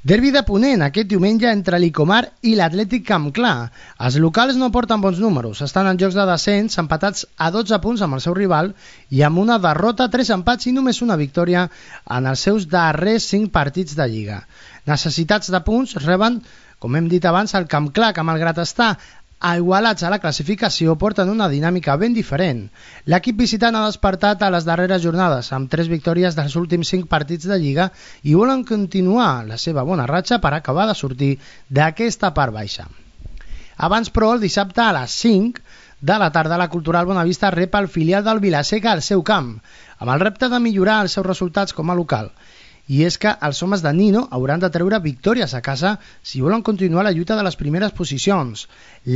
Derbi de Ponent aquest diumenge entre l'Icomar i l'Atlètic Campclar. Els locals no porten bons números, estan en jocs de descens empatats a 12 punts amb el seu rival i amb una derrota, 3 empats i només una victòria en els seus darrers 5 partits de Lliga. Necessitats de punts reben, com hem dit abans, el Campclar, que malgrat estar igualats a la classificació porten una dinàmica ben diferent. L'equip visitant ha despertat a les darreres jornades amb 3 victòries dels últims 5 partits de Lliga i volen continuar la seva bona ratxa per acabar de sortir d'aquesta part baixa. Abans, però, el dissabte a les 5 de la tarda la Cultural Bonavista rep el filial del Vilaseca al seu camp, amb el repte de millorar els seus resultats com a local. I és que els homes de Nino hauran de treure victòries a casa si volen continuar la lluita de les primeres posicions.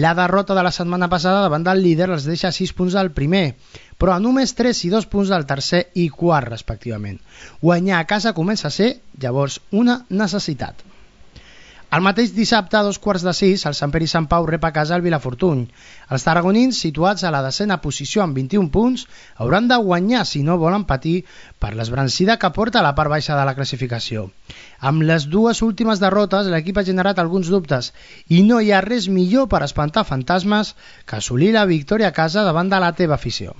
La derrota de la setmana passada davant del líder els deixa 6 punts del primer, però a només 3 i 2 punts del tercer i quart, respectivament. Guanyar a casa comença a ser, llavors, una necessitat. El mateix dissabte, a 5:15, el Sant Pere i Sant Pau rep a casa el Vilafortuny. Els tarragonins, situats a la 10ª posició amb 21 punts, hauran de guanyar si no volen patir per l'esbrancida que porta a la part baixa de la classificació. Amb les dues últimes derrotes, l'equip ha generat alguns dubtes i no hi ha res millor per espantar fantasmes que assolir la victòria a casa davant de la teva afició.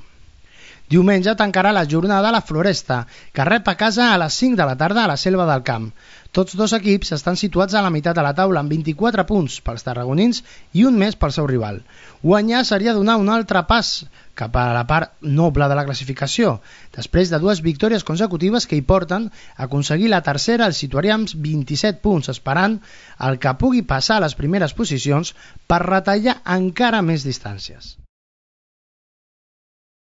Diumenge tancarà la jornada la Floresta, que rep a casa a les 5 de la tarda a la Selva del Camp. Tots dos equips estan situats a la meitat de la taula amb 24 punts pels tarragonins i un més pel seu rival. Guanyar seria donar un altre pas cap a la part noble de la classificació. Després de 2 victòries consecutives que hi porten, aconseguir la tercera el situaria amb 27 punts, esperant el que pugui passar a les primeres posicions per retallar encara més distàncies.